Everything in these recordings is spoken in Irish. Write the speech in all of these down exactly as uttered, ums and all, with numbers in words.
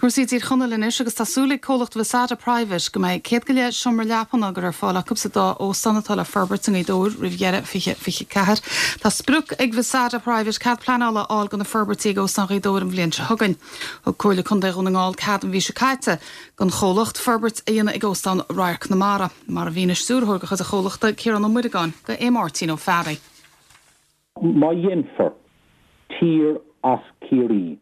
Cúrsaí Tír Chonaill anois agus tá súil ag comhlacht Vasada Private go mbeidh céad go leith seomra leapan á gcur ar fáil acu sa dá óstán atá le forbairt i nGaoth Dobhair roimh dheireadh fiche fiche ceathair. Tá sprioc ag Vasada Private cead pleanála a fháil do na forbairtí ag Óstán Ghaoth Dobhair an bhliain seo chugainn. Thug Comhairle Contae Dhún na nGall cead an mhí seo caite don chomhlacht forbairt a dhéanamh ag Óstán Radharc na Mara, mar a mhínigh stiúrthóir de chuid an chomhlachta Ciarán Ó Muireagáin go é Máirtín Ó Fearraigh. Má dhéanfar tír as Ciarraí.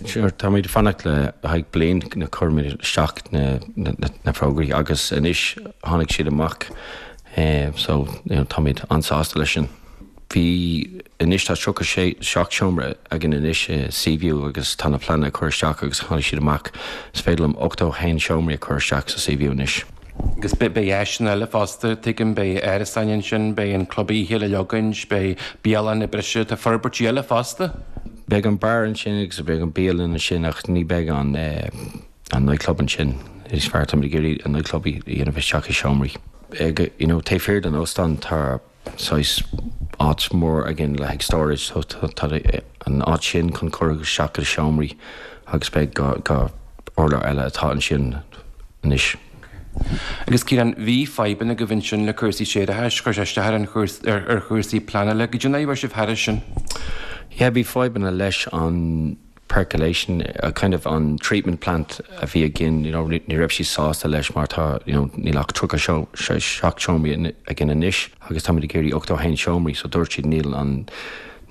Sure, táimid fanacht le haghaidh bliain na chuir isteach na, na, na, na fógraí agus anois tháinig siad amach eh, so you know, táimid an-sásta leis sin. Bhí anois tá tríocha sé seacht seomra againn anois eh, Seaview agus tá na pleananna cur isteach agus tháinig siad amach is féidir liom ochtó haon seomraí a chur isteach sa Seaview anois. Agus be beidh eile fosta tuigim beidh árasáin ansin beidh an club oíche le leogaint beidh bialann breise tá forbairtí eile fosta. Beidh an bar ansin agus beidh an bialann ansin ach ní beidh an eh, an nightclub ansin is fearr tá gurí an nightclub a dhéanamh isteach i seomraí. Ag you know, taobh thiar den óstán tá saghas áit mór againn le haghaidh storage so tá an áit sin chun cur isteach i seomraí agus beidh dhá urlár eile atá ansin anois. Agus Ciarán bhí fadhbanna agaibh ansin le cúrsaí séarachais chuir sé isteach ar an ar chúrsaí pleanála, go dtí sibh thar sin. Yeah, bhí fadhbanna leis an percolation a kind of an treatment plant a bhí againn you know, ní raibh sí sásta leis mar tá you know, níl ach tríocha seacht seomraí againn anois agus tá ag iarraidh ochtó haon seomraí so dúirt siad níl an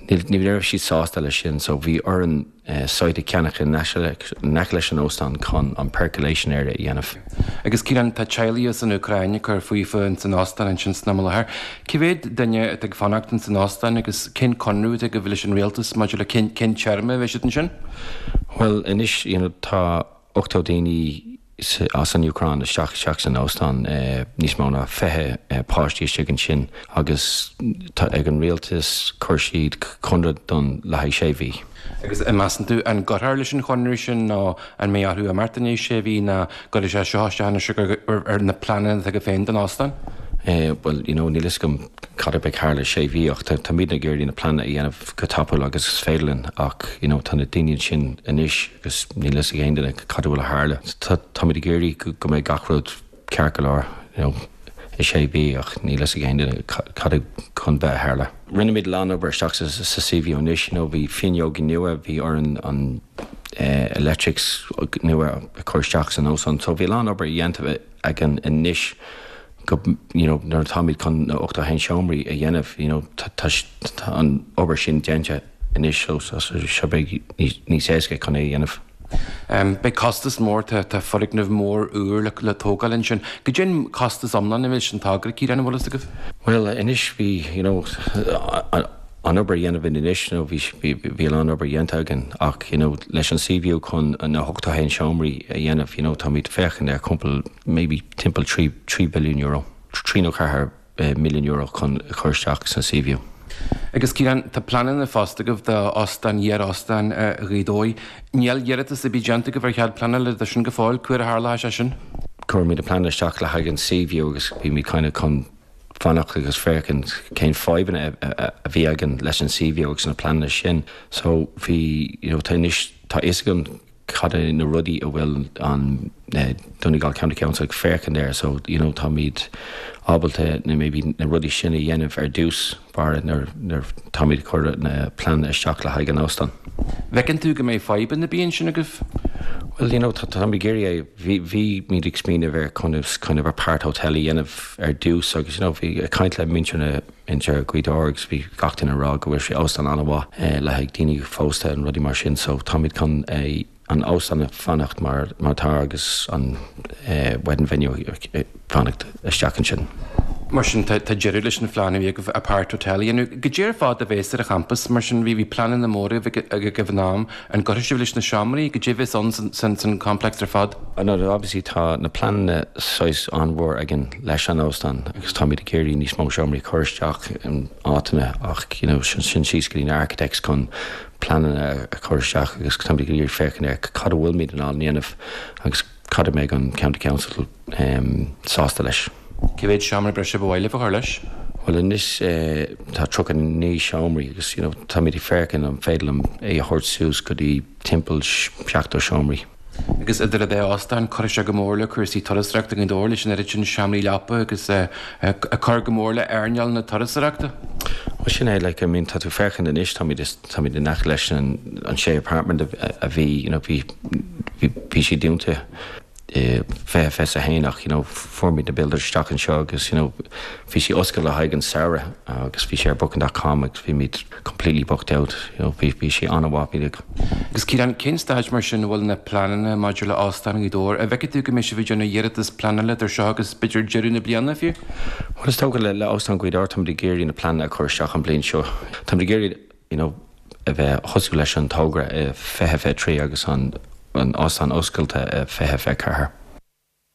ní raibh siad sásta leis sin so bhí orainn uh, site a cheannach in aice leis an óstán chun an percolation area a dhéanamh. Agus Ciarán tá teaghlaigh as an Úcráin ag cur fúthu in san óstán ansin sna láthair. Cé mhéad duine atá ag fanacht in san óstán agus cén conradh atá agaibh leis an rialtas maidir le cén téarma bheidh siad ansin? Well anois you know, tá ochtó daoine as an Úcráin isteach isteach san óstán eh, níos mó ná fiche eh, páistí istigh ansin agus tá ag an rialtas chuir siad conradh don le haghaidh sé mhí. Agus an measann tú an gcuirfear leis an chonradh sin nó an mbeidh athrú imeacht in sé mhí ná go sé seo ar na pleananna atá agaibh féin don óstán? Uh, well you know, níl a fhios agam cad a bheidh thar le sé mhí ach táimid ag iarraidh na pleananna a dhéanamh go tapúil agus is féidir linn ach you know, tá na daoine sin anois agus níl a fhios ag aon duine cad a bhfuil ag tarlú. Táimid ag iarraidh go mbeidh gach rud ceart go leor you know, i sé mhí ach níl a fhios ag aon duine cad chun bheith ag tarlú. Rinne muid an-obair isteach sa, sa Seaview anois, you know, bhí fuinneoga nua bhí orainn an uh, electrics nua a chur isteach san óstán, so bhí an-obair déanta againn anois go you know, nuair táimid chun na ochtó haon seomraí a dhéanamh you know, tá an obair sin déanta anois so so beidh níos éasca chun é dhéanamh. Um, Beidh costas mór tá foirgneamh mór úr le, le tógáil ansin. Goidé an costas iomlán a bhí sin togra Ciarán an bhfuil a fhios agaibh? Well anois bhí you know, an obair dhéanamh anois nó bhí bhí an obair dhéanta againn ach you know, leis an Seaview chun na hochtó haon seomraí a dhéanamh you know, táimid féachaint ar cúpla maybe timpeall trí billiún euro, trí nó ceathair eh, milliún euro chun chur isteach san Seaview. Agus Ciarán tá pleananna fosta agaibh d'óstán iar-óstán Ghaoth Dobhair. Níl iarratas ar bith déanta agaibh ar chead pleanála de sin go fóill cuair a tharla sé sin? Chuir muid a plean isteach le haghaidh an Seaview agus bhí muid kind of chun fanacht agus féachaint cén fadhbanna a bhí againn leis an Seaview agus na pleananna sin. So bhí you know, tá tá a fhios agam cad é na rudaí a bhfuil an uh, Donegal County Council ag féachaint air so you know, táimid ábalta na maybe na rudaí sin a dhéanamh ar dtús bar nuair táimid chur na plean isteach le haghaidh an óstán. Bhfeiceann tú go mbeidh fadhbanna bíonn sin agaibh? Well you know tá géirí bhí bhí muid ag smaoineamh ar kind of kind of apart hotel a dhéanamh ar dtús agus you know bhí caint le muintir na inter Gaoth Dobhair agus bhí gach duine ag rá go bhfuil sé óstán an-mhaith eh, le haghaidh daoine phósta an rudaí mar sin so táimid chun é an óstán a fanacht mar mar tá agus an eh, wedding venue eh, fanacht isteach ansin. Mar sin tá deireadh leis an phlean a bhí agaibh apart hotel a dhéanamh. Goidé ar fad a bheas ar an champas mar sin bhí bhí pleananna móra agaibh in am an gcuirfidh sibh leis na seomraí goidé a bheas ann san san complex ar fad. No, obviously tá na pleananna saghas an-mhór againn leis an óstán agus táimid ag iarraidh níos mó seomraí chur isteach in áiteanna ach you know, sin sin síos go dtí na architects chun pleananna a chur isteach agus táimid ag iarraidh féachaint ar cad a bhfuilmid in ann dhéanamh agus cad a mbeidh an County Council um, sásta leis. Cé mhéad seomra breise ba mhaith libh a chur leis? Well anois tá tríocha naoi seomraí agus you know táimid ag féachaint an féidir liom é a thabhairt suas go dtí timpeall seachtó seomraí. Agus idir an dá óstán, cuirfidh sé go mór le cúrsaí turasóireachta i nGaoth Dobhair leis an oiread sin seomraí leapa agus ag cur go mór le earnáil na turasóireachta. Well sin é like I mean tá tú féachaint anois táimid táimid in aice leis an an sé apartment a bhí you know bhí bhí sé dúnta fiche fiche a haon ach you know fuair muid na builders isteach anseo agus you know bhí sí oscailte le haghaidh an samhradh agus bhí sé ar booking dot com agus bhí muid completely booked out you know bhí bhí sé an-mhaith bhí Agus Ciarán, cén staid mar sin a bhfuil na pleananna maidir le Óstán Ghaoth Dobhair? An bhfeiceann tú go mbeidh sibh ag déanamh iarratas pleanála idir seo agus b'fhéidir deireadh na bliana fiú? Well is dócha le le Óstán Ghaoth Dobhair táimid ag iarraidh na pleananna a chur isteach an bhliain seo. Táimid ag iarraidh you know a bheith thosú leis an togra i fiche fiche trí agus an an óstán oscailte i fiche fiche ceathair.